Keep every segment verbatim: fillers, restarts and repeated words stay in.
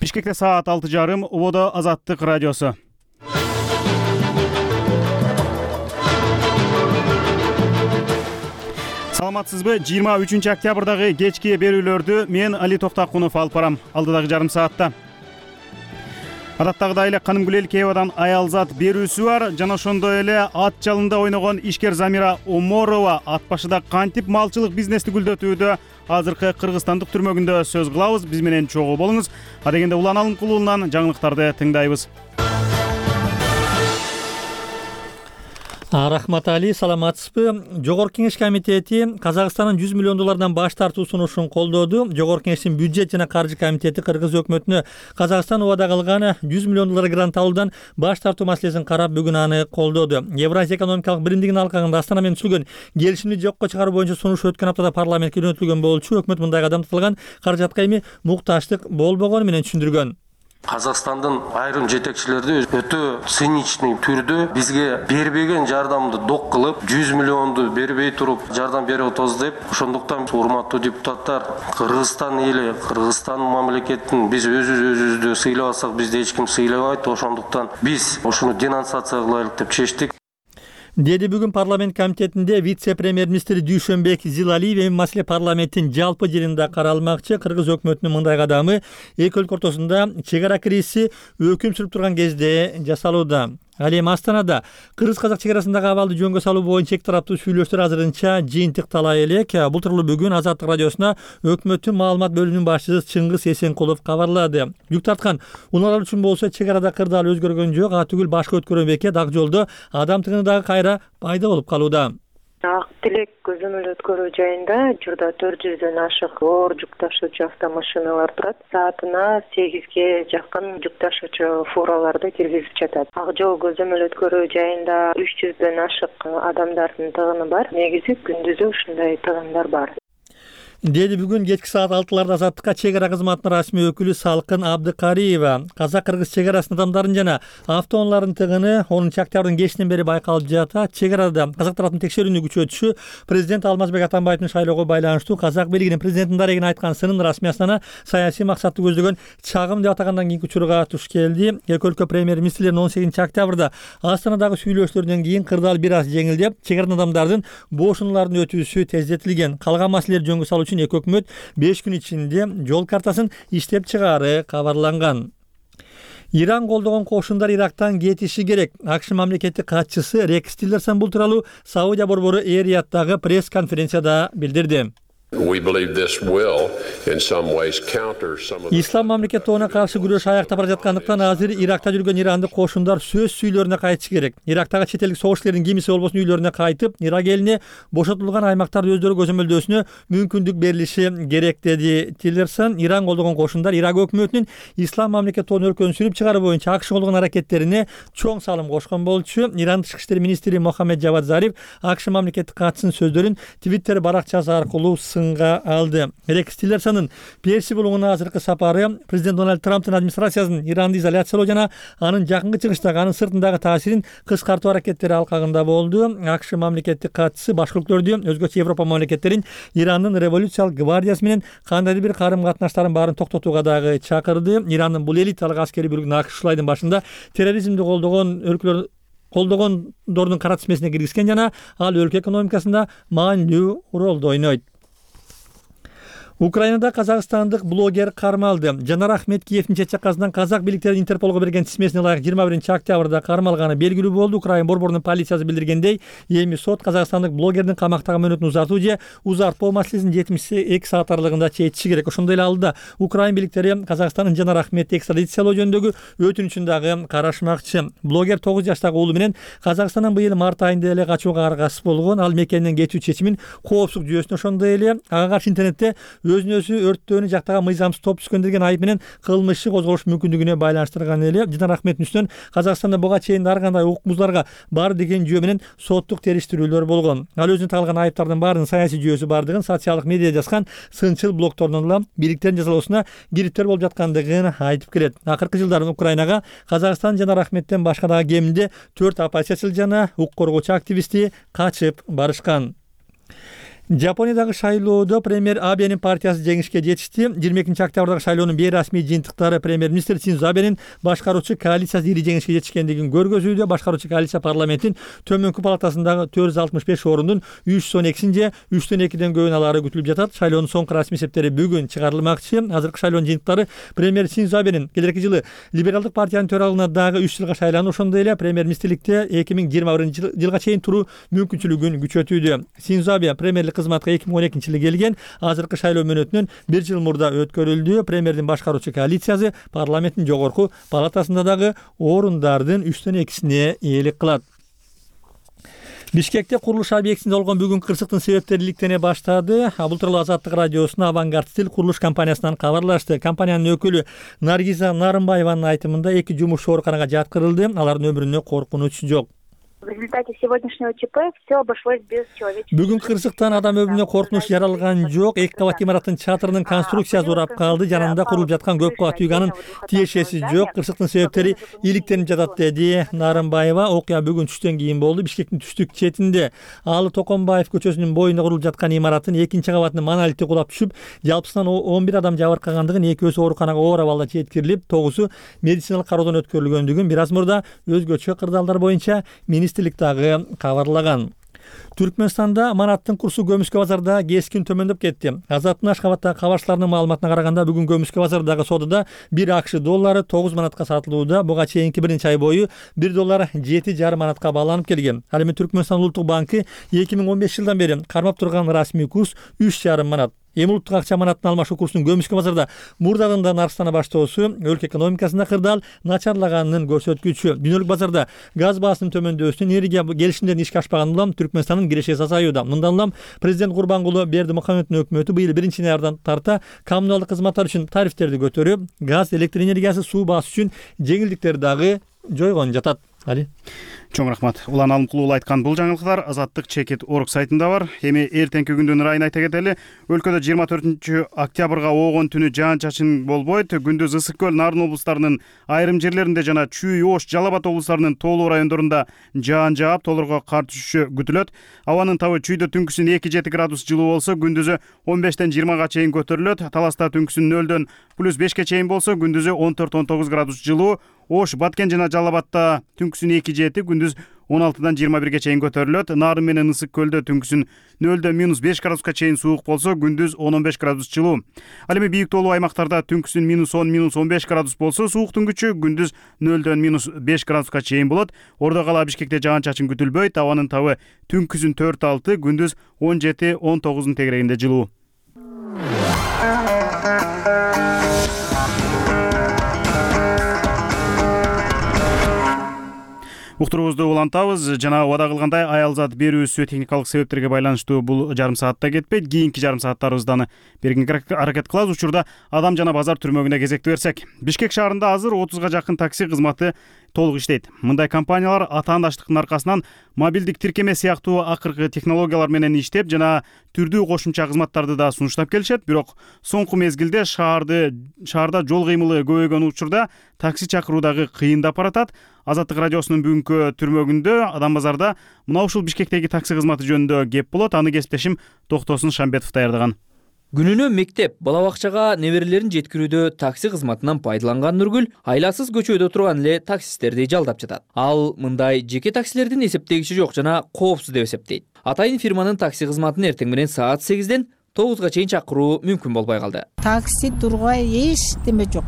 Бишкекте саат алты жарым, Ободо Азаттык радиосу. Саламатсызбы? жыйырма үчүнчү октябрдагы кечки берүүлөрдү мен Али Токтакунов алып барам. Алдыдагы жарым саатта адаттагыдай эле Канымгүл Элкеевадан аялзат берүүсү бар. Жана ошондой эле ат жалында ойногон ишкер Замира Оморова ат башыда кантип малчылык бизнести гүлдөтүүдө азыркы Кыргызстандык түрмөгүндө сөз кылабыз. Биз менен чогуу болуңуз. А дегенде Улан Алымкулуулунан жаңылыктарды тыңдайбыз. Рахмат Али, саламатсызбы? Жогорку Кеңеш комитети Казакстандын жүз миллион доллардан баш тартуу сунушун колдоду. Жогорку Кеңештин бюджет жана каржы комитети Кыргыз өкмөтүнө Казакстан убада кылган жүз миллион доллар грант алуудан баш тартуу маселесин карап, бүгүн аны колдоду. Евразия экономикалык биримдигинин алкагында Астана менен түзүлгөн келишимди жокко чыгаруу боюнча сунуш өткөн аптада парламентке жөнөтүлгөн болчу. Өкмөт мындай кадам татылган каражатка эми мукташтык болбогону менен түшүндүргөн. Казакстандын айрым жетекчилери өтө циничный түрдө бизге бербеген жардамды док кылып, жүз миллионду бербей туруп жардам берип атабыз деп. Ошондуктан урматтуу депутаттар, Кыргызстан эли, Кыргызстан мамлекетин биз өзүбүздү сыйлабасак, бизди эч ким сыйлабайт. Ошондуктан биз ошону денонсация кылайлык деп чечтик. Деди бүгүн парламент комитетинде вице-премьер-министр Дүйшөнбек Зилалиев эми маселе парламенттин жалпы жыйынында каралмакчы. Кыргыз өкмөтүнүн мындай кадамы эки өлкө ортосунда чек ара кризиси өкүм сүрүп турган кезде жасалууда. Ал эми Астанада кыргыз-казак чек арасындагы абалды жөнгө салуу боюнча эки тараптуу сүйлөштөр азырынча жыйынтыктала элек. Бул тууралуу бүгүн Азаттык радиосуна өкмөттүн маалымат бөлүмүнүн башчысы Чыңгыз Эсенкулов кабарлады. Жүк тарткан унаалар үчүн болсо чек арада кырдаал өзгөргөн жок, а түгүл башка өткөргөн бекет ак жолдо адам тыгыны дагы кайра пайда болуп калууда. Ак Тилек көзөмөл өткөрүү жайында журда төрт жүздөн ашык оор жүк ташуучу автомашиналар турат. Саатына сегизге жакын жүк ташуучу фураларды киргизип жатат. Ак жол көзөмөл өткөрүү жайында үч жүздөн ашык адамдардын тыгыны бар. Негизи күндүзү ушундай тыгындар бар. Деди бүгүн кечки саат алтыларда Азаттыкка чек ара кызматынын расмий өкүлү Салкын Абдыкариева. Казак-кыргыз чек арасынын адамдардын жана автоунаалардын тыгыны онунчу октябрдын кечинен бери байкалып жатат. Чек арада казак тараптын текшерүүнү күчөтүшү президент Алмазбек Атамбаевдин шайлоого байланыштуу казак бийлигинин президенттин дарегине айткан сынын расмий Астана саясий максатты көздөгөн чагым деп атагандан кийинки учурга туш келди. Эки өлкө премьер-министрлеринин он сегизинчи октябрда Астанадагы сүйлөшүүлөрдөн кийин кырдаал бир аз жеңилдеп, чек арадан адамдардын бошунулардын өтүүсү тездетилген. Калган маселелер жөнгө салуу үчүн эки өкмөт беш күн ичинде жол картасын иштеп чыгаары кабарланган. Иран колдогон кошундар Ирактан кетиши керек. АКШ мамлекеттик катчысы Рекс Тиллерсон бул тууралуу Саудия борбору Эр-Риядтагы пресс-конференцияда билдирди. Ислам мамлекет тобуна каршы күрөш аяктап бара жаткандыктан азыр Иракта жүргөн ирандык кошундар сөз сүйлөрүнө кайтышы керек. Ирактагы чет элдик согушчулардын кимиси болбосун үйлөрүнө кайтып, Ирак элине бошотулган аймактарды өздөрү көзөмөлдөөсүнө мүмкүндүк берилиши керек, деди Тиллерсон. Иран колдогон кошундар Ирак өкмөтүнүн Ислам мамлекет тобунун өлкөнү сүрүп чыгаруу боюнча АКШ колдогон аракеттерине чоң салым кошкон болчу. Иран тышкы иштер министри Мохаммед Джавад Зариф АКШ мамлекеттик катчысынын сөздөрүн Твиттер баракчасы аркылуу сынга алды. Рекс Тиллерсонун Перси булугуна азыркы сапары президент Дональд Трамптын администрациясынын Иранды изоляциялоо жана анын жакынкы чыгыштагы, анын сыртындагы таасирин кыскартуу аракеттери алкагында болду. АКШ мамлекеттик катчысы башка өлкөлөрдү, өзгөчө Европа мамлекеттерин Ирандын революциялык гвардиясы менен кандайдыр бир карым-катнаштарын баарын токтотууга дагы чакырды. Ирандын бул элиталык аскери бөлүгүн АКШ ушул айдын башында терроризмди колдогон өлкөлөр колдогондордун кара тизмесине киргизген жана ал өлкө экономикасында маанилүү ролду ойнойт. Украинада казакстандык блогер кармалды. Жанар Ахметкиевдин чет чакасынан казак бийликтеринин Интерполго берген тизмесине ылайык жыйырма биринчи октябрда кармалганы белгилүү болду. Украин борборунун полициясы билдиргендей, эми сот казакстандык блогердин камактагы мөөнөтүн узартуу же узартпоо маселесин жетимиш эки саат аралыгында чечиши керек. Ошондой эле алдыда Украин бийликтери Казакстандын Жанар Ахметти экстрадициялоо жөнүндөгү өтүнүчүн дагы карашмакчы. Блогер тогуз жаштагы уулу менен Казакстандан быйыл март айында эле качууга аргасыз болгон. Ал мекенинен кетүү чечимин коопсуздук жүйөсүнө ошондой эле ага каршы интернетте өзүнө өзү өрттөөнү жактаган мыйзамсыз топ түзгөн деген айып менен кылмыш козголуш мүмкүндүгүнө байланыштырган эле. Жанар Ахметтин үстүнөн Казакстанда буга чейин ар кандай укук бузууларга бар деген жүйө менен соттук териштирүүлөр болгон. Ал өзүнө тагылган айыптардын баарынын саясий жүйөсү бардыгын, социалдык медиа жазган сынчыл блогтордон улам бийликтердин жазалоосуна кириптер болуп жаткандыгын айтып келет. Акыркы жылдары Украинага Казакстан Жанар Ахметтен башка дагы кеминде төрт оппозициячыл жана укук коргоочу активисти качып барышкан. Жапониядагы шайлоодо премьер Абенин партиясы жеңишке жетишти. жыйырма экинчи октябрдагы шайлоонун бейрасмий жыйынтыктары премьер-министр Синдзо Абенин башкаруучу коалициясы ири жеңишке жетишкендигин көргөзүүдө. Башкаруучу коалиция парламенттин төмөнкү палатасындагы төрт жүз алтымыш беш орундун үч жүз он экисин же үчтөн экиден көбүн алары күтүлүп жатат. Шайлоонун соңку расмий эсептери бүгүн чыгарылмакчы. Азыркы шайлоонун жыйынтыктары премьер Синдзо Абенин келерки жылы либералдык партиянын төралыгына дагы үч жылга шайланып, ошондой эле премьер-министрликте эки миң жыйырма биринчи жылга чейин туруу мүмкүнчүлүгүн күчөтүүдө. Синдзо Абе премьерлик кызматка эки миң он экинчи жылы келген. Азыркы шайлоо мөөнөтүнөн бир жыл мурда өткөрүлдү. Премьердин башкаруучу коалициясы парламенттин жогорку палатасында дагы орундардын үчтөн экисине ээлик кылат. Бишкекте курулуш объектисинде болгон бүгүнкү кырсыктын себептери иликтене баштады. Бул тууралуу Азаттык радиосуна Авангард Стил курулуш компаниясынан кабарлашты. Компаниянын өкүлү Наргиза Нарымбаеванын айтымында эки жумушчу ооруканага жаткырылды. Алардын өмүрүнө коркунуч жок. В результате сегодняшнего ЧП все обошлось без человеческих. Бүгүнкү кырсыктан адам өмүрүнө коркунуч жаралган жок. Эки кабат имараттын чатырынын конструкциясы урап калды. Жанында курулуп жаткан көп кабат үйгөнүн тиешеси жок. Кырсыктын себептери иликтенип жатат, деди Нарымбаева. Окуя бүгүн түштөн кийин болду. Бишкектин түштүк четинде Алы Токонбаев көчөсүнүн боюнда курулуп жаткан имараттын экинчи кабатынын монолити кулап түшүп, жалпысынан он бир адам жабыркагандыгын, экөөсү ооруканага оор абалда жеткирилип, тогузу медициналык кароодон өткөрүлгөндүгүн бир аз мурда өзгөчө кырдаалдар боюнча министрлик дагы кабарлаган. Түркмөнстанда манаттын курсу Көмүскө базарда кескин төмөндөп кетти. Азаттын Ашкабаттагы кабарчыларынын маалыматына караганда, бүгүн Көмүскө базардагы содада бир АКШ доллары тогуз манатка сатылууда. Буга чейинки биринчи ай бою бир доллар жети жарым манатка бааланып келген. Ал эми Түркмөнстан Улуттук банкы эки миң он беш жылдан бери кармап турган расмий курс үч жарым манат. Эми улуттук акча манаттын алмашуу курсунун Көмүскө базарда мурдагы да нарыштана баштоосу өлкө экономикасында кырдаал начарлаганын көрсөткүчү. Дүйнөлүк базарда газ баасынын төмөндөсүнүн энергия келишимдерин ишке ашпаган улам Түркмөнстандын кирешеси азаюуда. Мындан улам президент Курбангулу Бердимухамедовдун өкмөтү быйыл биринчи январдан тарта коммуналдык кызматтар үчүн тарифтерди көтөрүп, газ, электр энергиясы, суу баасы үчүн жеңилдиктер дагы жойгон жатат. Али Чоң рахмат. Улан Алымкулуу айткан бул жаңылыктар Азаттык чекит орг сайтында бар. Эми эртеңки күндүн ырайын айта кетели. Өлкөдө жыйырма төртүнчү октябрга оогон түнү жаан-чачын болбойт. Күндүз Ысык көл, Нарын облустарынын айрым жерлеринде жана Чүй, Ош, Жалал Абад облустарынын тоолуу райондорунда жаан жаап, тоолорго кар түшүшү күтүлөт. Абанын табы Чүйдө түнкүсүн эки жети градус жылуу болсо, күндүзү он бештен жыйырмага чейин көтөрүлөт. Таласта түнкүсүн нөлдөн плюс бешке чейин болсо, күндүзү он төрт он тогуз градус жылуу. Ош, Баткен жана Жалал Абадта түнкүсүн эки жети, күндүз он алтыдан жыйырма бирге чейин көтөрүлөт. Нарын менен Ысык көлдө түнкүсүн нөлдөн минус беш градуска чейин суук болсо, күндүз он он беш градус жылуу. Ал эми бийик тоолуу аймактарда түнкүсүн минус он минус он беш градус болсо, сууктун күчү күндүз нөлдөн минус беш градуска чейин болот. Ордо кала Бишкекте жаан-чачын күтүлбөйт. Абанын табы түнкүсүн төрт алты, күндүз он жети он тогуздун тегерегинде жылуу. Уктуруубузду улантабыз. Жана убада кылгандай аялзат берүүсү техникалык себептерге байланыштуу бул жарым саатта кетпейт. Кийинки жарым сааттарыбызды бергенге аракет кылабыз. Учурда Адам жана базар түрмөгүнө кезекти берсек. Бишкек шаарында азыр отузга жакын такси кызматы толук иштейт. Мындай компаниялар атаандаштыктын аркасынан мобилдик тиркеме сыяктуу акыркы технологиялар менен иштеп, жана түрдүү кошумча кызматтарды да сунуштап келишет. Бирок соңку мезгилде шаарды шаарда жол кыймылы көбөйгөн учурда такси чакыруу дагы кыйындап баратат. Азаттык радиосунун бүгүнкү түрмөгүндө Адам базарда мына ушул Бишкектеги такси кызматы жөнүндө кеп болот. Аны кесиптешим Токтосун Шамбетов даярдаган. Күнүнө мектеп, бала бакчага неберелерин жеткирүүдө такси кызматынан пайдаланган Нургүл айласыз көчөдө турган эле таксисттерди жалдап жатат. Ал мындай жеке таксилердин эсептегичи жок жана коопсуз деп эсептейт. Атайын фирманын такси кызматын эртең менен саат сегизден тогузга чейин чакыруу мүмкүн болбой калды. Такси тургай эчтеме жок.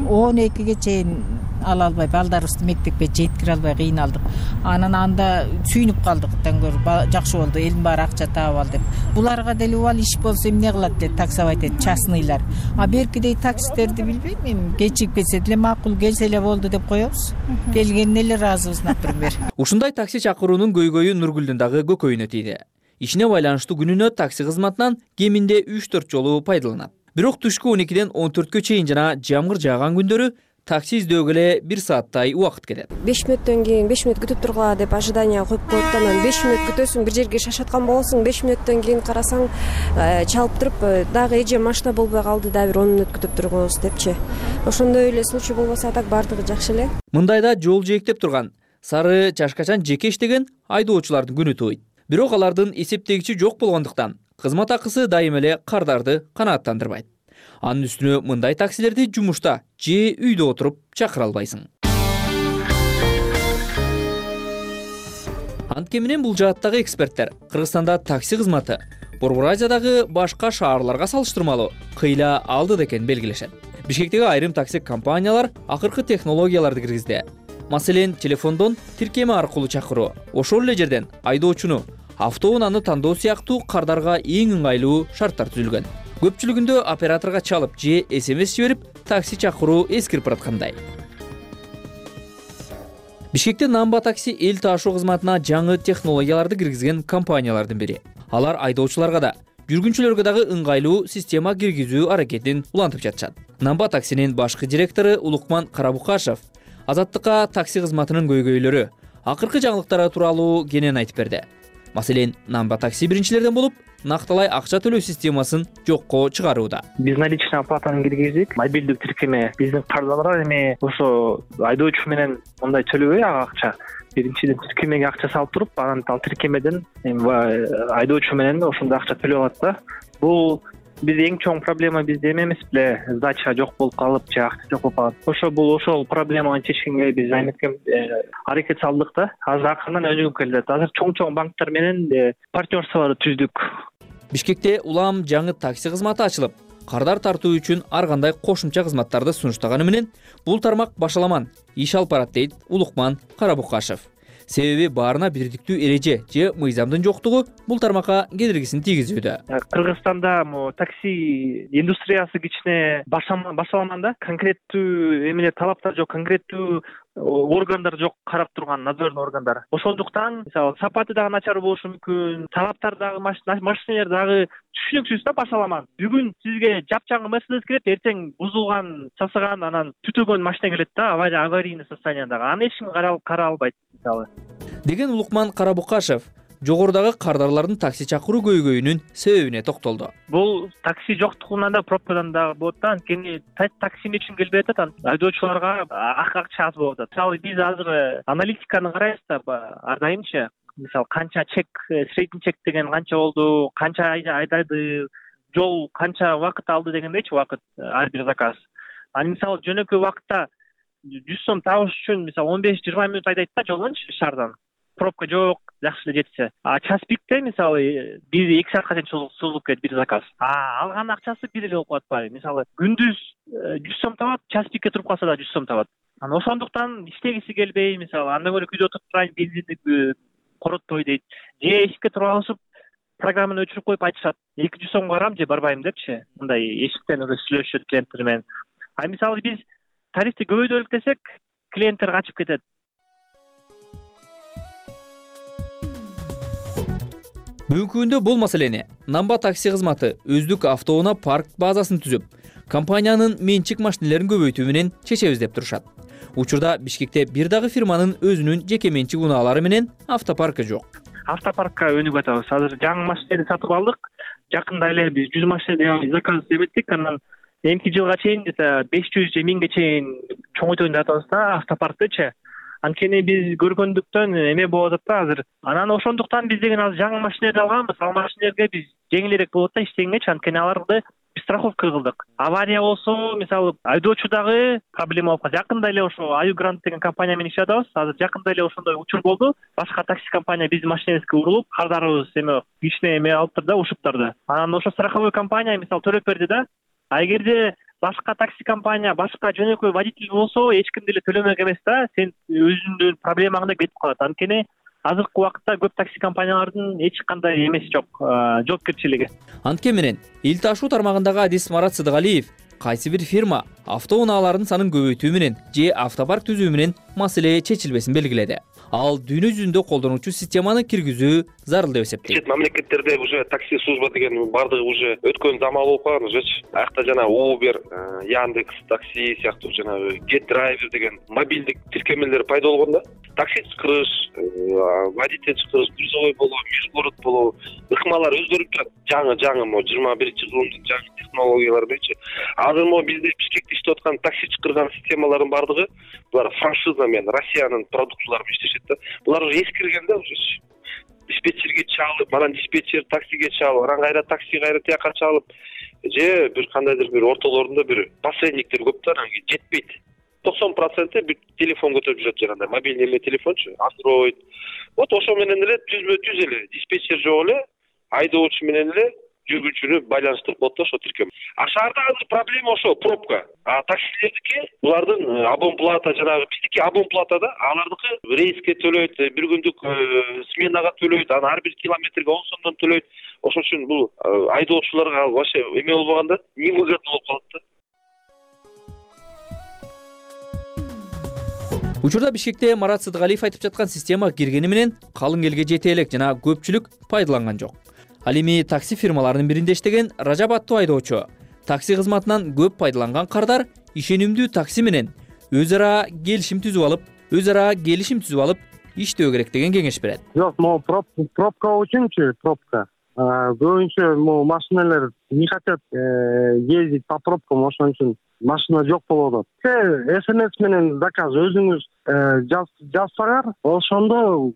он экиге чейин ала албай, балдарыбызды мектепке жеткире албай кыйналдык. Анан анда сүйүнүп калдык. Таңгөр жакшы болду, элдин баары акча таап ал деп. Буларга деле убал иш болсо эмне кылат деп таксовать этет, частныйлар. А беркидей таксистерди билбейм, эми кечип кетсе деле макул, келсе эле болду деп коебуз. Келгенине эле ыраазыбыз, например. Ушундай такси чакыруунун көйгөйү Нургүлдүн дагы көкөйүнө тийди. Ишине байланыштуу күнүнө такси кызматынан кеминде үч төрт жолу пайдаланат. Бирок түшкү он экиден он төрткө чейин жана жамгыр жааган күндөрү такси издөөгө эле бир сааттай убакыт кетет. беш мүнөттөн кийин беш мүнөт күтүп тургула деп ожидание коюп коет. Анан беш мүнөт күтөсүң, бир жерге шашаткан болосуң, беш мүнөттөн кийин карасаң чалып туруп, дагы эже машина болбой калды, дагы бир он мүнөт күтүп тургунбуз депчи. Ошондой эле случай болбосо так бардыгы жакшы эле. Мындайда жол жээктеп турган, сары чашкачан жеке иштеген айдоочулардын күнү тууйт. Бирок алардын эсептегичи жок болгондуктан кызмат акысы дайыма эле кардарды канааттандырбайт. Анын үстүнө мындай таксилерди жумушта же үйдө отуруп чакыра албайсың. Антке менен бул жааттагы эксперттер Кыргызстанда такси кызматы Борбор Азиядагы башка шаарларга салыштырмалуу кыйла алды экенин белгилешет. Бишкектеги айрым такси компаниялар акыркы технологияларды киргизди. Маселен, телефондон тиркеме аркылуу чакыруу, ошол эле жерден айдоочуну, автоунааны тандоо сыяктуу кардарга эң ыңгайлуу шарттар түзүлгөн. Көпчүлүгүндө операторго чалып же эс эм эс жиберип такси чакыруу эскирип бараткандай. Бишкекте Намба такси эл таашуу кызматына жаңы технологияларды киргизген компаниялардын бири. Алар айдоочуларга да, жүргүнчүлөргө дагы ыңгайлуу система киргизүү аракетин улантып жатышат. Намба таксинин башкы директору Улукман Карабукашев Азаттыкка такси кызматынын көйгөйлөрү, акыркы жаңылыктары тууралуу кенен айтып берди. Маселен, Намба такси биринчилерден болуп, накталай акча төлөө системасын жокко чыгарууда. Биз наличный оплатаны киргиздик. Мобилдик тиркеме биздин кардалар эми ошо айдоочу менен мындай төлөбөй ага акча. Биринчиден тиркемеге акча салып туруп, анан ал тиркемеден эми айдоочу менен ошондой акча төлөп алат да. Бул бизде эң чоң проблема бизде эме эмес беле, сдача жок болуп калып, же акча жок болуп калат. Ошо бул ошол проблеманы чечкенге биз айнекем аракет салдык да. Азыр акырынан өнүгүп келет. Азыр чоң-чоң банктар менен партнерстволор түздүк. Бишкекте улам жаңы такси кызматы ачылып, кардар тартуу үчүн ар кандай кошумча кызматтарды сунуштаганы менен бул тармак башаламан иш алып барат дейт Улукман Карабукашев. Себеби баарына бирдиктүү эреже же мыйзамдын жоктугу бул тармакка кедергисин тийгизүүдө. Кыргызстанда такси индустриясы кичине башаламан да, конкреттүү эмне талаптар жок, конкреттүү органдар жок, карап турган надзорный органдар. Ошондуктан мисалы сапаты дагы начар болушу мүмкүн, талаптар дагы машинелер дагы түшүнүксүз да, башаламан. Бүгүн сизге жапжаңы Мерседес келет, эртең бузулган, часыган, анан түтөгөн машина келет да, аварийный состояниедагы. Аны эч ким кара албайт мисалы. Деген Улукман Карабукашев жогорудагы кардарлардын такси чакыруу көйгөйүнүн себебине токтолду. Бул такси жоктугунан да, пробкадан да болот да. Анткени такси үчүн келбей атат, айдоочуларга акча аз болуп атат. Мисалы биз азыр аналитиканы карайбыз да, ар дайымчы. Мисалы канча чек, средний чек деген канча болду, канча айдады, жол канча убакыт алды дегендейчи, убакыт ар бир заказ. Аны мисалы жөнөкөй убакытта жүз сом табыш үчүн мисалы он беш жыйырма мүнөт айдайт да жолдончу шаардан. Пробка жок, жакшы эле жетсе. А час пикте мисалы бир эки саатка чейин созулуп кетет бир заказ. А алган акчасы бир эле болуп калат баары. Мисалы күндүз жүз сом табат, час пикке туруп калса да жүз сом табат. Анан ошондуктан иштегиси келбей, мисалы андан көрө үйдө отуруп турайын, бензинди коротпой дейт. Же эшикке туруп алышып, программаны өчүрүп коюп айтышат. эки жүз сом барам же барбайм депчи. Мындай эшиктен уже сүйлөшүшөт клиенттер менен. А мисалы биз тарифти көбөйтөлүк десек, клиенттер качып кетет. Бүгүнкү күндө бул маселени Намба такси кызматы өздүк автоунаа парк базасын түзүп, компаниянын менчик машинелерин көбөйтүү менен чечебиз деп турушат. Учурда Бишкекте бир дагы фирманын өзүнүн жеке менчик унаалары менен автопаркы жок. Автопаркка өнүгүп атабыз. Азыр жаңы машинелерди сатып алдык. Жакында эле биз жүз машина заказ эбеттик. Анан эмки жылга чейин беш жүз же миңге чейин чоңойтойм деп атабыз да автопарктычы. Анткени биз көргөндүктөн эме болуп атат да азыр. Анан ошондуктан биз деген азыр жаңы машинелерди алганбыз. Ал машинелерге биз жеңилирээк болот да иштегенчи, анткени аларды страховка кылдык. Авария болсо, мисалы айдоочу дагы проблема болуп калат. Жакында эле ошо Аю Грант деген компания менен иштеп атабыз. Азыр жакында эле ошондой учур болду. Башка такси компания биздин машинебизге урулуп, кардарыбыз эме кичине эме алыптыр да, ушуптарды. Анан ошо страховой компания мисалы төлөп берди да. А эгерде башка такси компания, башка жөнөкөй водитель болсо, эч ким деле төлөмөк эмес да, сен өзүңдүн проблемаңды кетип калат. Анткени азыркы убакытта көп такси компаниялардын эч кандай эмеси жок, жоопкерчилиги. Антке менен эл таашуу тармагындагы адис Марат Сыдыгалиев кайсы бир фирма автоунааларын санын көбөйтүү менен же автопарк түзүү менен маселе чечилбесин белгиледи. Ал дүйнө жүзүндө колдонуучу системаны киргизүү зарыл деп эсептейт. Чет мамлекеттерде уже такси служба деген бардыгы уже өткөн заман болуп калган ужечи. Аякта жана Uber, Яндекс такси сыяктуу жана Get Driver деген мобилдик тиркемелер пайда болгон да. Такси чакырыш, водитель чакырыш, грузовой болуу, межгород болуу, ыкмалар өзгөрүп турат. Жаңы-жаңы мо жыйырма биринчи кылымдын жаңы технологиялары дейчи. Азыр мо бизде Бишкекте иштеп аткан такси чакырган системалардын бардыгы булар франшиза менен Россиянын продукциялары менен иштешет да. Булар уже эскирген да уже. диспетчерге чалып, анан диспетчер таксиге чалып, анан кайра такси кайра тияка чалып, же бир кандайдыр бир ортолорунда бир посредниктер көп да, анан жетпейт. токсон проценти бир телефон көтөрүп жүрөт, жанагындай мобильный эме телефончу, Android. Вот ошо менен эле түзмө түз эле диспетчер жок эле айдоочу менен эле жүргүнчүнү байланыштырып коет да ошо тиркем. А шаарда азыр проблема ошо пробка. А таксилердики булардын абонплата, жанагы биздики абонплатада, алардыкы рейске төлөйт, бир күндүк сменага төлөйт, анан ар бир километрге он сомдон төлөйт. Ошон үчүн бул айдоочуларга вообще эме болбоганда невыгодно болуп калат да. Учурда Бишкекте Марат Сыдыгалиев айтып жаткан система киргени менен калың элге жете элек жана көпчүлүк пайдаланган жок. Ал эми такси фирмаларынын биринде иштеген Ражап аттуу айдоочу такси кызматынан көп пайдаланган кардар ишенимдүү такси менен өз ара келишим түзүп алып, өз ара келишим түзүп алып иштөө керек деген кеңеш берет. Жок, могу пробка үчүнчү пробка. Көбүнчө могу машиналар не хотят ездить по пробкам, ошон үчүн машина жок болуп атат. СМС менен заказ өзүңүз жазсаңар, ошондо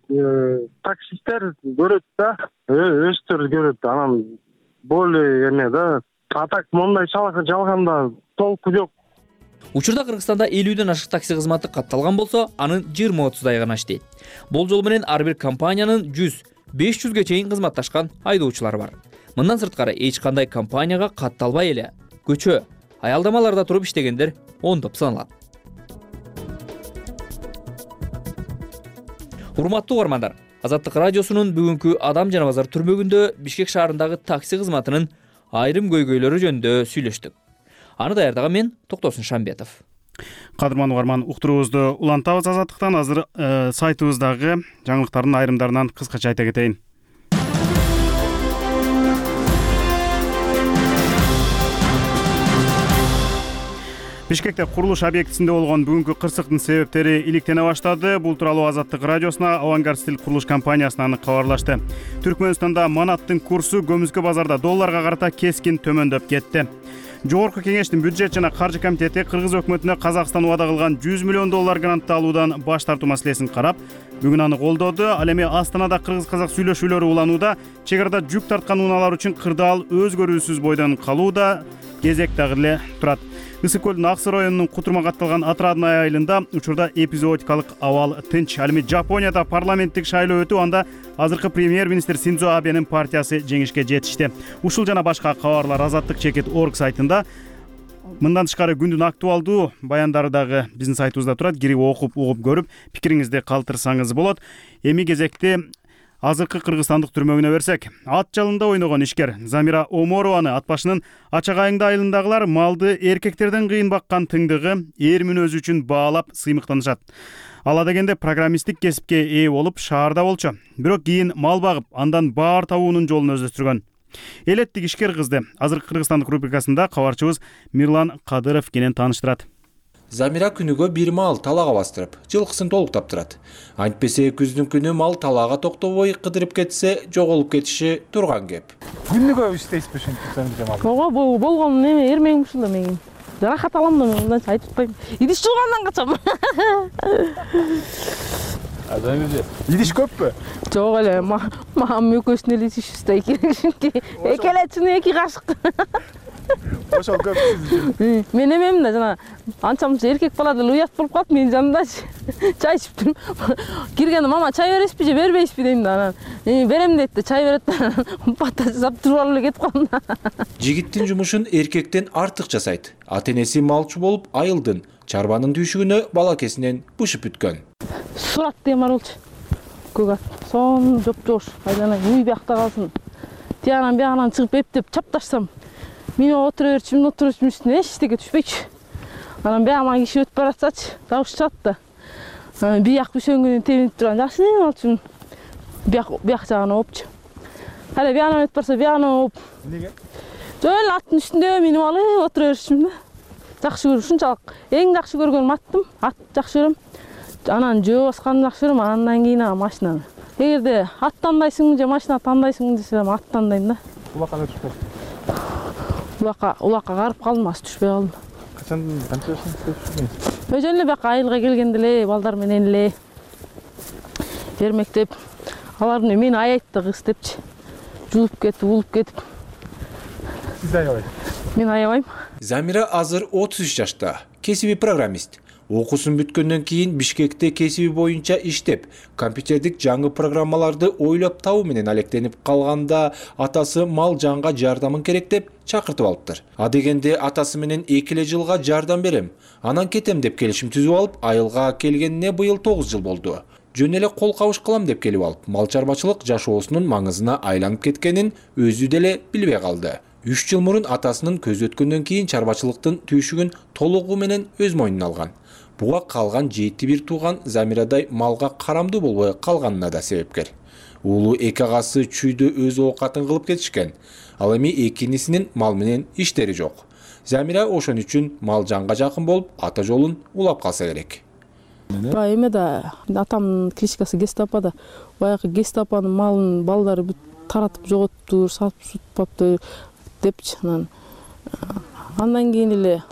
таксисттер көрөт да, өздөрү көрөт. Анан более эме да, а так мондай жалганда толку жок. Учурда Кыргызстанда элүүдөн ашык такси кызматы катталган болсо, анын жыйырма отуздай гана иштейт. Болжол менен ар бир компаниянын жүз беш жүзгө чейин кызматташкан айдоочулары бар. Мындан сырткары эч кандай компанияга катталбай эле көчө, аялдамаларда туруп иштегендер ондоп саналат. Урматтуу угармандар, Азаттык радиосунун бүгүнкү Адам жана базар түрмөгүндө Бишкек шаарындагы такси кызматынын айрым көйгөйлөрү жөнүндө сүйлөштүк. Аны даярдаган мен Токтосун Шамбетов. Кадырман угарман, уктуруубузду улантабыз Азаттыктан. Азыр э, сайтыбыздагы жаңылыктардын айрымдарынан кыскача айта кетейин. Бишкекте курулуш объектисинде болгон бүгүнкү кырсыктын себептери иликтене баштады. Бул тууралуу Азаттык радиосуна Авангард стиль курулуш компаниясынан кабарлашты. Түркмөнстанда манаттын курсу көмүскө базарда долларга карата кескин төмөндөп кетти. Жогорку кеңештин бюджет жана каржы комитети Кыргыз өкмөтүнө Казакстан убада кылган жүз миллион доллар грантты алуудан баш тартуу маселесин карап, бүгүн аны колдоду. Ал эми Астанада кыргыз-казак сүйлөшүүлөрү уланууда, чек арада жүк тарткан унаалар үчүн кырдаал өзгөрүүсүз бойдон калууда кезек дагы эле турат. Ысык көлдүн Аксы районунун Кутурма катталган Отрадная айылында учурда эпизодикалык абал тынч. Ал эми Жапонияда парламенттик шайлоо өтүп, анда азыркы премьер-министр Синдзо Абенин партиясы жеңишке жетишти. Ушул жана башка кабарлар Азаттык чекит орг сайтында. Мындан тышкары күндүн актуалдуу баяндары дагы биздин сайтыбызда турат. Кирип окуп, угуп көрүп, пикириңизди калтырсаңыз болот. Эми кезекти азыркы кыргызстандык түрмөгүнө берсек, ат жалында ойногон ишкер Замира Оморованы ат башынын Ачагайыңды айылындагылар малды эркектерден кыйын баккан тыңдыгы эр мүнөзү үчүн баалап сыймыктанышат. Ала дегенде программисттик кесипке ээ болуп шаарда болчу. Бирок кийин мал багып, андан баар табуунун жолун өздөштүргөн. Элеттик ишкер кызды азыркы кыргызстандык рубрикасында кабарчыбыз Мирлан Кадыров кенен тааныштырат. Замира күнүгө бир мал талаага бастырып, жылкысын толуктап турат. Антпесе күздүн күнү мал талаага токтобой кыдырып кетсе, жоголуп кетиши турган кеп. Күнүгө иштейсизби ушинтип мал? Ого, болгон неме эрмегим ушул эле мен. Жаракат алам да мен мындан айтып атпайм. Идиш жуугандан качам. Азамиже, идиш көппү? Жок эле, мамам экөөсүн эле ишибизде эки. Экелечини эки кашык. Ошол көп сиз үчүн. Мен эмемин да жана анчамча эркек бала деле уят болуп калат менин жанымдачы. Чай ичип турмун. Киргенде мама чай бересизби же бербейсизби дейм да, анан берем дейт да, чай берет да, бата жасап туруп алып эле кетип калдым да. Жигиттин жумушун эркектен артык жасайт. Ата-энеси малчы болуп айылдын, чарбанын түйшүгүнө балакесинен бышып бүткөн. Сурат деген бар болчу. Көк ат. Сон жоп-жош, айданай уй биякта калсын. Тиягынан биягынан чыгып эптеп чапташсам, мен отура берчүмүн, отура берчүмүн үстүнө эчтеке түшпөйчү. Анан биягынан киши өтүп баратсачы, табыш чыгат да. Анан бияк бүсөңгүнүн тебинип турган жакшы алчумун. Бияк бияк жагына оопчу. Кайра биягынан өтүп барса, биягынан ооп. Эмнеге? Жөн эле аттын үстүндө минип алып отура берчүмүн да. Жакшы көрүм, ушунчалык эң жакшы көргөнүм аттым, ат жакшы көрөм. Анан жөө басканды жакшы көрөм, андан кийин машинаны. Эгерде ат тандайсыңбы же машина тандайсыңбы десе, ат тандайм да. Улакка түшпөйт. Улакка, улакка карып калдым, аз түшпөй калдым. Качан канча жашыңызда түшпөйсүз? Өзү эле бияка айылга келгенде эле балдар менен эле эрмектеп, алар мени аяйт да кыз депчи. Жулуп кетип, улуп кетип. Сиз аябайсыз. Мен аябайм. Замира азыр отуз үч жашта, кесиби программист. Окуусун бүткөндөн кийин Бишкекте кесиби боюнча иштеп, компьютердик жаңы программаларды ойлоп табуу менен алектенип калганда атасы мал жанга жардамын керек деп чакыртып алыптыр. А дегенде атасы менен эки эле жылга жардам берем, анан кетем деп келишим түзүп алып, айылга келгенине быйыл тогуз жыл болду. Жөн эле кол кабыш кылам деп келип алып, мал чарбачылык жашоосунун маңызына айланып кеткенин өзү деле билбей калды. үч жыл мурун атасынын көз өткөндөн кийин чарбачылыктын түйшүгүн толугу менен өз мойнуна алган. Буга калган жети бир тууган Замирадай малга карамдуу болбой калганына да себепкер. Уулу эки агасы чүйдө өз оокатын кылып кетишкен. Ал эми экинисинин мал менен иштери жок. Замира ошон үчүн мал жанга жакын болуп, ата жолун улап калса керек. Баягы эме да, атамдын кличкасы Гестапада. Баягы Гестапанын малын балдары бүт таратып жоготтур, сатып сутпаптыр депчи. Анан андан кийин эле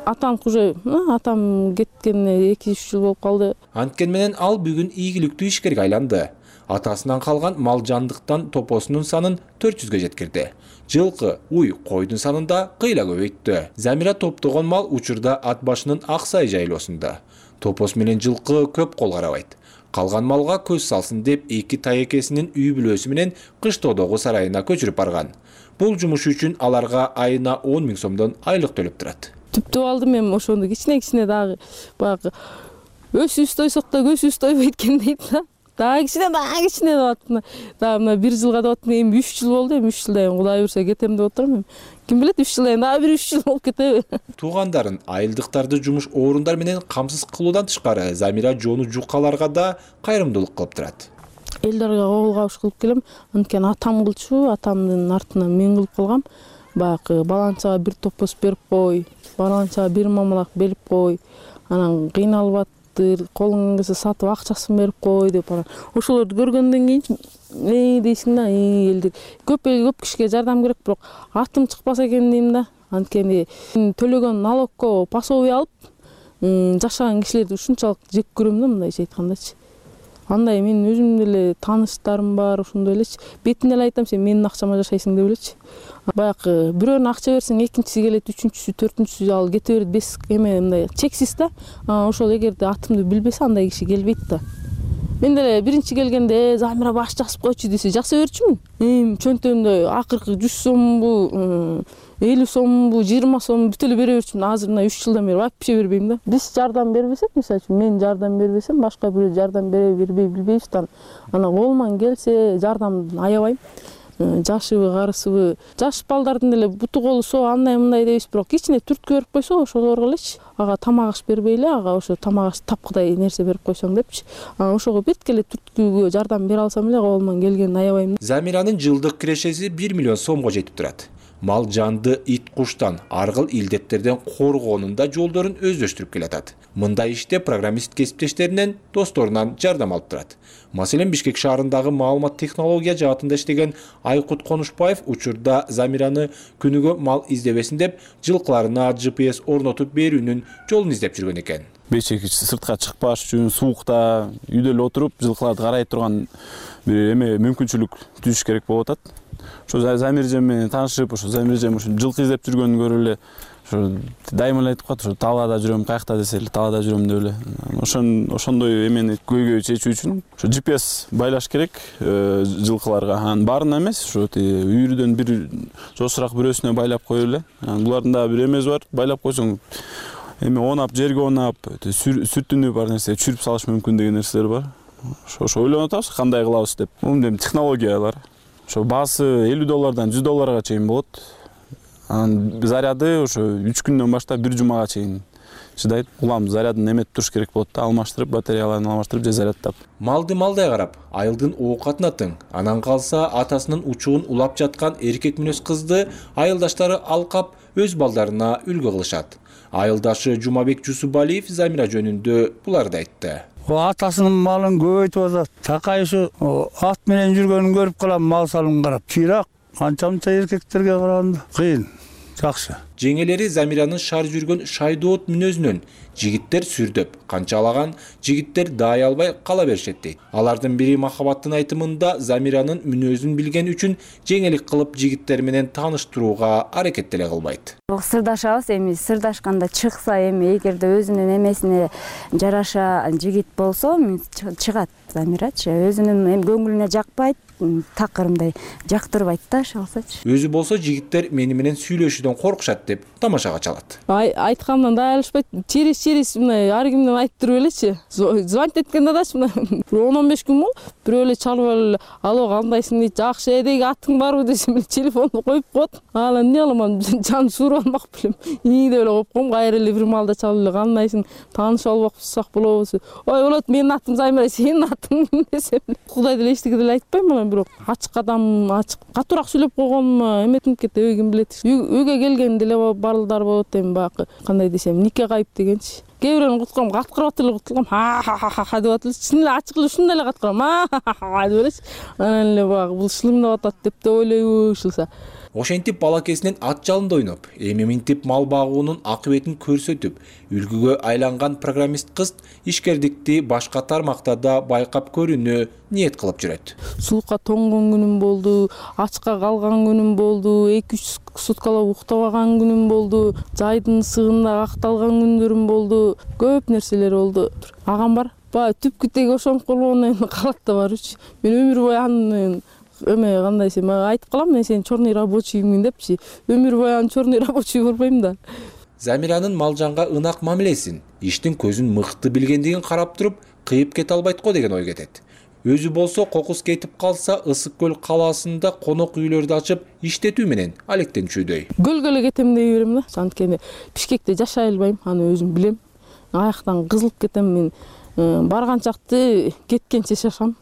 атам уже атам кеткенине эки үч жыл болуп калды. Анткени менен ал бүгүн ийгиликтүү ишкерге айланды. Атасынан калган мал жандыктан топосунун санын төрт жүзгө жеткирди. Жылкы, уй, койдун санын да кыйла көбөйттү. Замира топтогон мал учурда ат башынын Аксай жайлоосунда. Топос менен жылкы көп кол карабайт. Калган малга көз салсын деп эки таекесинин үй бүлөсү менен Кыштоодогу сарайына көчүрүп барган. Бул жумуш үчүн аларга айына он миң сомдон айлык төлөп турат. Түптүп алдым эми ошондо кичине-кичине дагы баягы өсүбүз тойсок да көзүбүз тойбойт экен дейт да. Дагы кичине, дагы кичине деп атып, дагы мына бир жылга деп атып, эми үч жыл болду, эми үч жылдан кийин Кудай буйрса кетем деп отурам. Ким билет, үч жылдан кийин дагы бир үч жыл болуп кетеби. Туугандарын, айылдыктарды жумуш орундар менен камсыз кылуудан тышкары Замира жону жукаларга да кайрымдуулук кылып турат. Элдерге кол кабыш кылып келем. Анткени атам кылчу, атамдын артынан мен кылып калгам. Баягы баланчага бир топос берип кой, баланчага бир мамалак берип кой. Анан кыйналып колуң келсе сатып акчасын берип кой деп анан ошолорду көргөндөн кийин э дейсиң да, элдер көп эл көп кишиге жардам керек, бирок атым чыкпаса экен дейм да. Анткени төлөгөн налогко пособие алып жашаган кишилерди ушунчалык жек көрөм да, мындайча айткандачы. Андай мен өзүм деле тааныштарым бар, ошондой элечи. Бетине эле айтам, сен менин акчама жашайсың деп элечи. Баягы бирөөнө акча берсең, экинчиси келет, үчүнчүсү, төртүнчүсү ал кете берет, бес эме мындай чексиз да. Ошол эгерде атымды билбесе, андай киши келбейт да. Мен деле биринчи келгенде Замира баш жасып койчу десе, жаса берчүмүн. Эми чөнтөгүмдө акыркы жүз сомбу, элүү сомбу, жыйырма сом бүт эле бере берчүмүн. Азыр мына үч жылдан бери вообще бербейм да. Биз жардам бербесек, мисалы үчүн мен жардам бербесем, башка бирөө жардам бере бербей билбейбиз да. Анан колуман келсе жардамды аябайм. Жашыбы, карысыбы, жаш балдардын деле буту колу соо андай мындай дейбиз, бирок кичине түрткү берип койсо ошолорго элечи. Ага тамак аш бербей эле, ага ошо тамак аш тапкыдай нерсе берип койсоң депчи. Анан ошого беткеле түрткүгө жардам бере алсам эле колуман келгенин аябайм. Замиранын жылдык кирешеси бир миллион сомго жетип турат. Мал жанды ит куштан, аргыл илдеттерден коргоонун да жолдорун өздөштүрүп келатат. Мындай иште программист кесиптештеринен, досторунан жардам алып турат. Маселен, Бишкек шаарындагы маалымат технология жаатында иштеген Айкут Конушбаев учурда Замираны күнүгө мал издебесин деп жылкыларына джи пи эс орнотуп берүүнүн жолун издеп жүргөн экен. Бечек сыртка чыкпаш үчүн суукта үйдө эле отуруп жылкыларды карай турган бир эме мүмкүнчүлүк түзүш керек болуп атат. Ошо Замиржем менен таанышып, ошо Замиржем ошо жылкы издеп жүргөнүн көрүп эле ошо дайыма эле айтып калат, ошо талаада жүрөм, каякта десе эле талаада жүрөм деп эле. Ошон ошондой эмени көйгөй чечүү үчүн ошо джи пи эс байлаш керек жылкыларга. Анан баарына эмес, ошо үйрүдөн бир жошураак бирөөсүнө байлап коюп эле. Булардын дагы бир эмеси бар, байлап койсоң эми онап, жерге онап, сүтүнү бар нерсе чүрүп салыш мүмкүн деген нерселер бар. Ошо ойлонуп атабыз, кандай кылабыз деп. Бул эми технологиялар. Ошо баасы элүү доллардан жүз долларга чейин болот. Анан заряды ошо үч күндөн баштап бир жумага чейин чыдайт. Улам зарядын эметип туруш керек болот да, алмаштырып, батареяларын алмаштырып же зарядтап. Малды малдай карап, айылдын оокатына тең. Анан калса атасынын учугун улап жаткан эркек мүнөз кызды айылдаштары алкап өз балдарына үлгү кылышат. Айылдашы Жумабек Жусубалиев Замира жөнүндө буларды айтты. Атасынын малын көбөйтүп атат. Такай ушу ат менен жүргөнүн көрүп калам, мал салын карап. Чыйрак, анча-мынча эркектерге караганда кыйын. Жакшы. жеңелери Замиранын шаар жүргөн шайдоот мүнөзүнөн жигиттер сүрдөп, канчалаган жигиттер даай албай кала беришет дейт. Алардын бири Махабаттын айтымында Замиранын мүнөзүн билген үчүн жеңелик кылып жигиттер менен тааныштырууга аракет деле кылбайт. Сырдашабыз, эми сырдашканда чыкса, эми эгерде өзүнүн эмесине жараша жигит болсо, чыгат Замирачы. Өзүнүн эми көңүлүнө жакпайт, такырымдай жактырбайт да, шалсачы. Өзү болсо жигиттер мени менен сүйлөшүүдөн коркушат деп тамашага чалат. Айткандан да алышпайт. Через-через мындай ар кимден айтып туруп элечи. Звонить эткенде дачы мына он он беш күн болду. Бирөө эле чалып алып, алло, кандайсың дейт, жакшы, эдеги атың барбы десем эле телефонду коюп коет. Ал эмне кыламан, жан сууруп алмак белем. Ийи деп эле коюп коем, кайра эле бир маалда чалып эле, кандайсың, таанышып албакчысак болобу? Ой, болот, менин атым Замира, сенин атың десем эле. Кудай деле эчтеке деле айтпайм мына, бирок ачык адам, ачык катуураак сүйлөп койгонум эметип кетти, үй ким билет. Үйгө келген деле балдар болот, эми баягы кандай десем, нике кайып дегенчи. Кээ бирөөнү куткарам, каткырып эле куткарам, ха-ха-ха деп атылчы. Чын эле ачык эле ушундай эле каткырам, ха-ха-ха деп элечи. Анан эле баягы бул шылымдап атат деп да ойлойбу ушулса. Ошентип балакесинен ат жалында ойноп, эми минтип мал багуунун акыбетин көрсөтүп, үлгүгө айланган программист кыз ишкердикти башка тармакта да байкап көрүүнү ниет кылып жүрөт. Сулукка тоңгон күнүм болду, ачка калган күнүм болду, эки үч суткалап уктабаган күнүм болду, жайдын ысыгында акталган күндөрүм болду, көп нерселер болду. Агам бар, баягы түпкү теги ошонуп калгондон кийин калат да барчы. Мен өмүр бою анын эме кандай десем, айтып калам, мен сенин черный рабочиймин депчи. Өмүр бою анын черный рабочий болбойм да. Замиранын малжанга ынак мамилесин, иштин көзүн мыкты билгендигин карап туруп, кыйып кете албайт го деген ой кетет. Өзү болсо кокус кетип калса, Ысык көл калаасында конок үйлөрдү ачып иштетүү менен алектенчүдөй. Көлгө эле кетем дей берем да. Анткени Бишкекте жашай албайм, аны өзүм билем. Аяктан кызылып кетем мен. Барганчакты кеткенче жашам.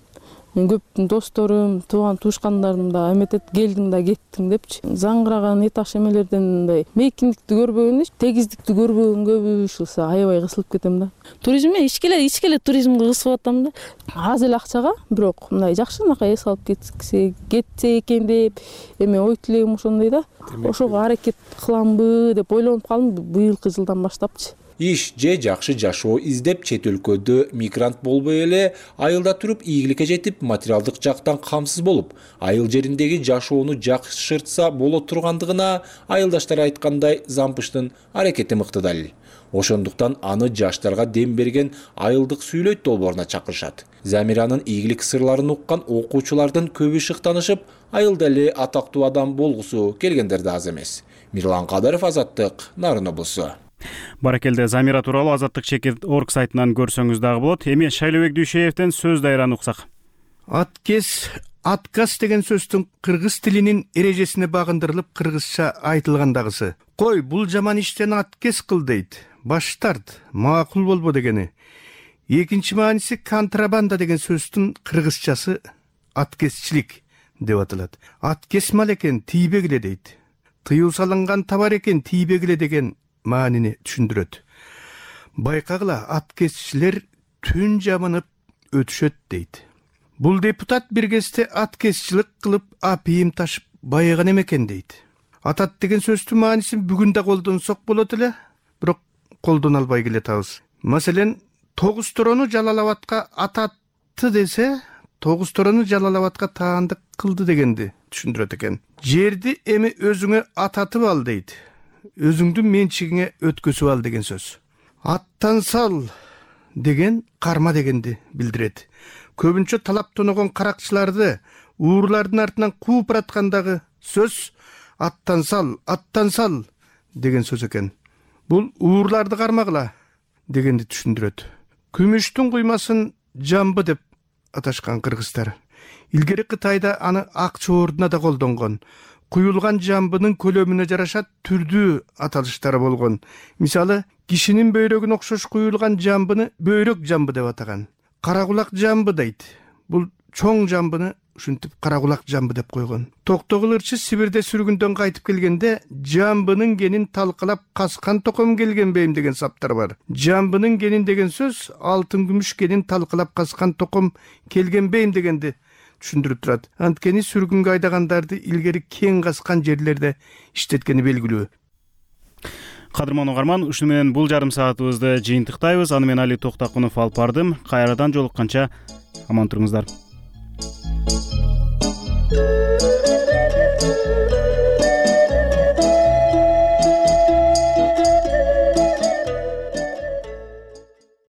Мен көп досторум, тууган туушкандарым да эметет, келдиң да кеттиң депчи. Заңгыраган этаж эмелерден мындай мейкиндикти көрбөгөн, тегиздикти көрбөгөн көбү ушулса аябай кысылып кетем да. Туризмге ичкеле ичкеле туризмге кысып атам да. Аз эле акчага, бирок мындай жакшынакай эс алып кетсе, кетсе экен деп эме ой тилегим ошондой да. Ошого аракет кыламбы деп ойлонуп калдым быйылкы жылдан баштапчы. Иш же жакшы жашоо издеп чет өлкөдө мигрант болбой эле айылда туруп ийгиликке жетип, материалдык жактан камсыз болуп, айыл жериндеги жашоону жакшыртса боло тургандыгына айылдаштар айткандай Зампыштын аракети мыкты далил. Ошондуктан аны жаштарга дем берген айылдык сүйлөйт долбооруна чакырышат. Замиранын ийгилик сырларын уккан окуучулардын көбү шыктанышып, айылда эле атактуу адам болгусу келгендер да аз эмес. Мирлан Кадыров, Азаттык, Нарын облусу. Баракелде, Замира тууралуу Азаттык чекит орг сайтынан көрсөңүз дагы болот. Эми Шайлообек Дүйшеевден сөз дайраны уксак. Аткес, отказ деген сөздүн кыргыз тилинин эрежесине багындырылып кыргызча айтылгандагысы. Кой, бул жаман иштен аткес кыл дейт. Баш тарт, макул болбо дегени. Экинчи мааниси контрабанда деген сөздүн кыргызчасы аткесчилик деп аталат. Аткес мал экен, тийбегиле дейт. Тыюу салынган товар экен, тийбегиле деген маанини түшүндүрөт. Байкагыла, аткесчилер түн жамынып өтүшөт дейт. Бул депутат бир кезде аткесчилик кылып апийим ташып байыган экен дейт. Атат деген сөздүн маанисин бүгүн да колдонсок болот эле, бирок колдоно албай келатабыз. Маселен, тогуз торону Жалалабадка ататты десе, тогуз торону Жалалабадка таандык кылды дегенди түшүндүрөт экен. Жерди эми өзүңө ататып ал дейт. Өзүңдүн менчигиңе өткөзүп ал деген сөз. Аттан сал деген карма дегенди билдирет. Көбүнчө талап тоногон каракчыларды уурлардын артынан кууп бараткандагы сөз аттан сал, аттан сал деген сөз экен. Бул уурларды кармагыла дегенди түшүндүрөт. Күмүштүн куймасын жамбы деп аташкан кыргыздар. Илгери Кытайда аны акча ордуна да колдонгон. Куюлган жамбынын көлөмүнө жараша түрдүү аталыштары болгон. Мисалы, кишинин бөйрөгүнө окшош куюлган жамбыны бөйрөк жамбы деп атаган. Каракулак жамбы дейт. Бул чоң жамбыны ушинтип каракулак жамбы деп койгон. Токтогул ырчы Сибирде сүргүндөн кайтып келгенде жамбынын генин талкалап каскан током келген бейим деген саптар бар. Жамбынын генин деген сөз алтын күмүш генин талкалап каскан током келген бейим дегенди түшүндүрүп турат. Анткени сүргүнгө айдагандарды илгери кең каскан жерлерде иштеткени белгилүү. Кадырман угарман, ушуну менен бул жарым саатыбызды жыйынтыктайбыз. Аны мен Али Токтакунов алып бардым. Кайрадан жолукканча аман туруңуздар.